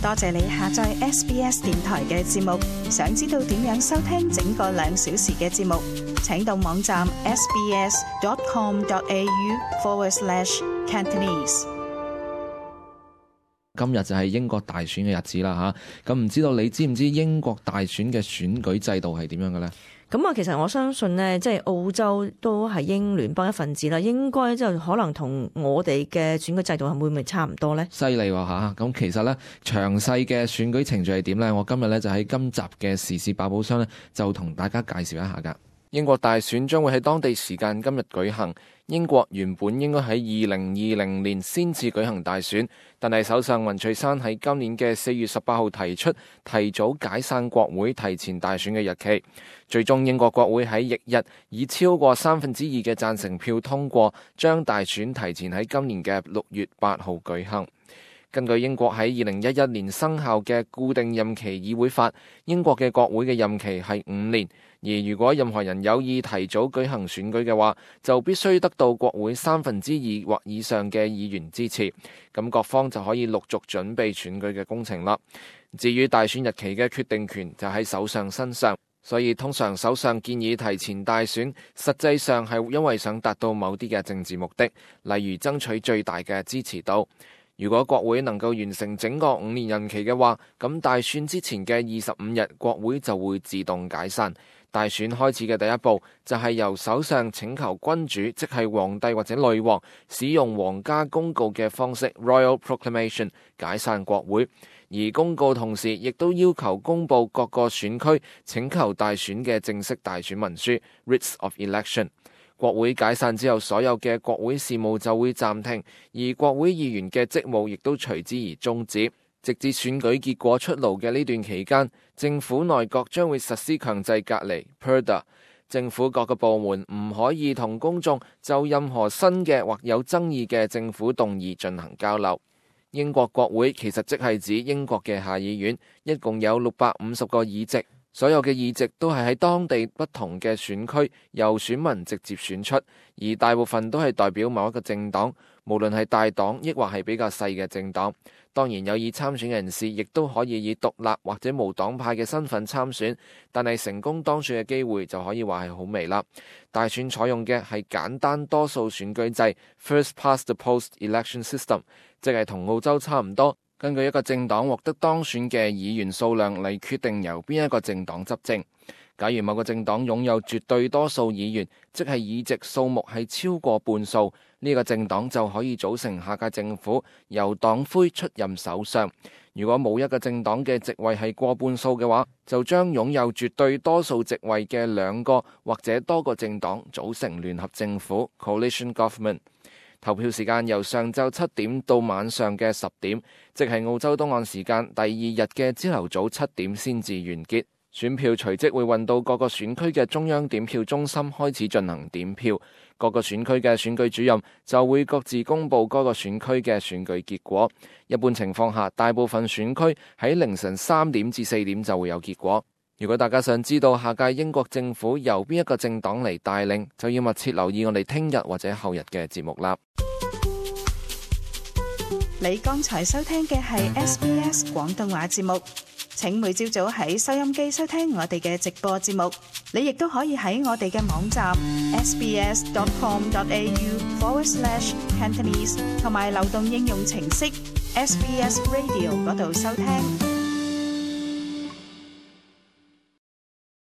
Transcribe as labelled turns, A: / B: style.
A: 多謝你下載 SBS 電台嘅節目。想知道點樣收聽整個2小時嘅節目，請到網站 sbs.com.au/Cantonese。
B: 今日就係英國大選嘅日子啦嚇，咁唔知道你知唔知英國大選嘅選舉制度係點樣嘅呢？
C: 咁啊，其實我相信呢，即係澳洲都係英聯邦一份子啦，應該就可能同我哋嘅選舉制度係會唔會差唔多呢？
B: 犀利喎嚇！咁其實呢，詳細嘅選舉程序係點呢？我今日呢，就喺今集嘅時事百寶箱呢，就同大家介紹一下㗎。英國大選將會喺當地時間今日舉行。英國原本應該喺2020年先至舉行大選，但係首相文翠珊喺今年嘅4月18號提出提早解散國會、提前大選嘅日期。最終英國國會喺翌日以超過2/3嘅贊成票通過，將大選提前喺今年嘅6月8號舉行。根據英國喺2011年生效嘅固定任期議會法，英國嘅國會嘅任期係5年，而如果任何人有意提早舉行選舉嘅話，就必須得到國會2/3或以上嘅議員支持，咁各方就可以陸續準備選舉嘅工程啦。至於大選日期嘅決定權就喺首相身上，所以通常首相建議提前大選，實際上係因為想達到某啲嘅政治目的，例如爭取最大嘅支持度。如果國會能夠完成整個5年任期嘅話，咁大選之前嘅25日，國會就會自動解散。大選開始嘅第一步就係由首相請求君主，即係皇帝或者女王，使用皇家公告嘅方式 Royal Proclamation 解散國會，而公告同時亦都要求公佈各個選區請求大選嘅正式大選文書 Writs of Election。國會解散之後，所有嘅國會事務就會暫停，而國會議員嘅職務亦都隨之而終止。直至選舉結果出爐嘅呢段期間，政府內閣將會實施強制隔離 Purdah。政府各個部門唔可以同公眾就任何新嘅或有爭議嘅政府動議進行交流。英國國會其實即係指英國嘅下議院，一共有650個議席。所有嘅議席都係喺當地不同嘅選區由選民直接選出，而大部分都係代表某一個政黨，無論係大黨抑或係比較細嘅政黨。當然有意參選人士亦都可以以獨立或者無黨派嘅身份參選，但係成功當選嘅機會就可以話係好微啦。大選採用嘅係簡單多數選舉制 First Past the Post Election System， 即係同澳洲差唔多。根據一個政黨獲得當選嘅議員數量嚟決定由邊一個政黨執政。假如某個政黨擁有絕對多數議員，即係議席數目係超過半數，呢個政黨就可以組成下屆政府，由黨魁出任首相。如果冇一個政黨嘅席位係過半數嘅話，就將擁有絕對多數席位嘅2個或者多個政黨組成聯合政府 Coalition Government。投票時間由上晝7點到晚上嘅10點，即係澳洲東岸時間第2日嘅朝頭早7點先至完結。選票隨即會運到各個選區嘅中央點票中心開始進行點票，各個選區嘅選舉主任就會各自公佈嗰個選區嘅選舉結果。一般情況下，大部分選區喺凌晨3點至4點就會有結果。如果大家想知道下屆英國政府由邊一個政黨嚟帶領，就要密切留意我哋聽日或者後日嘅節目啦。
A: 你剛才收聽嘅係 SBS 廣東話節目，請每朝早喺收音機收聽我哋嘅直播節目。你亦都可以喺我哋嘅網站 sbs.com.au/Cantonese 同埋流動應用程式 SBS Radio 嗰度收聽。